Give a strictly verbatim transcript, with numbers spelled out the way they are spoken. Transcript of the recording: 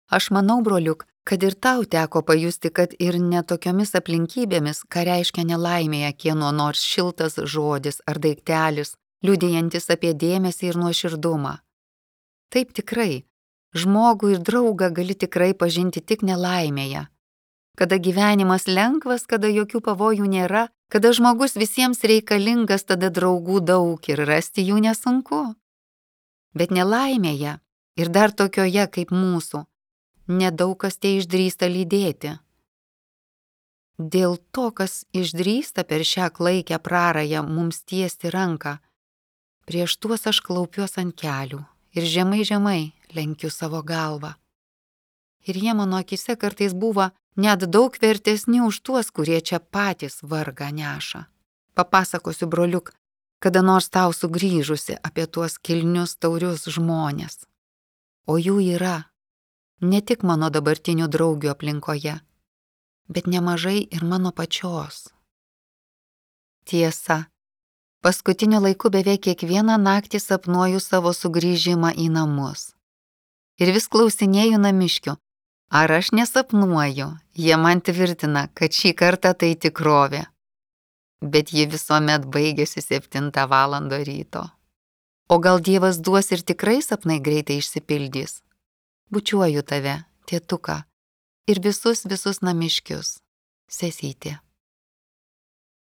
Aš manau, broliuk, kad ir tau teko pajusti, kad ir netokiomis aplinkybėmis, ką reiškia nelaimėje kieno nors šiltas žodis ar daiktelis, liudijantis apie dėmesį ir nuoširdumą. Taip tikrai, žmogų ir draugą gali tikrai pažinti tik nelaimėje. Kada gyvenimas lengvas, kada jokių pavojų nėra, kada žmogus visiems reikalingas, tada draugų daug ir rasti jų nesunku. Bet nelaimėje, ir dar tokioje kaip mūsų, nedaug kas te išdrįsta lydėti. Dėl to, kas išdrįsta per šią klaikę prarają mums tiesti ranką, prieš tuos aš klaupiuos ant kelių ir žemai žemai lenkiu savo galvą. Ir jie mano akise kartais buvo net daug vertesni už tuos, kurie čia patys vargą neša. Papasakosiu, broliuk, kada nors tau sugrįžusi apie tuos kilnius taurius žmonės. O jų yra. Ne tik mano dabartinių draugių aplinkoje, bet nemažai ir mano pačios. Tiesa, paskutiniu laiku beveik kiekvieną naktį sapnuoju savo sugrįžimą į namus. Ir vis klausinėju namiškių, ar aš nesapnuoju, jie man tvirtina, kad šį kartą tai tikrovė. Bet ji visuomet baigėsi septintą valandą ryto. O gal Dievas duos ir tikrai sapnai greitai išsipildys? Bučiuoju tave, tėtuką, ir visus visus namiškius, sesytė.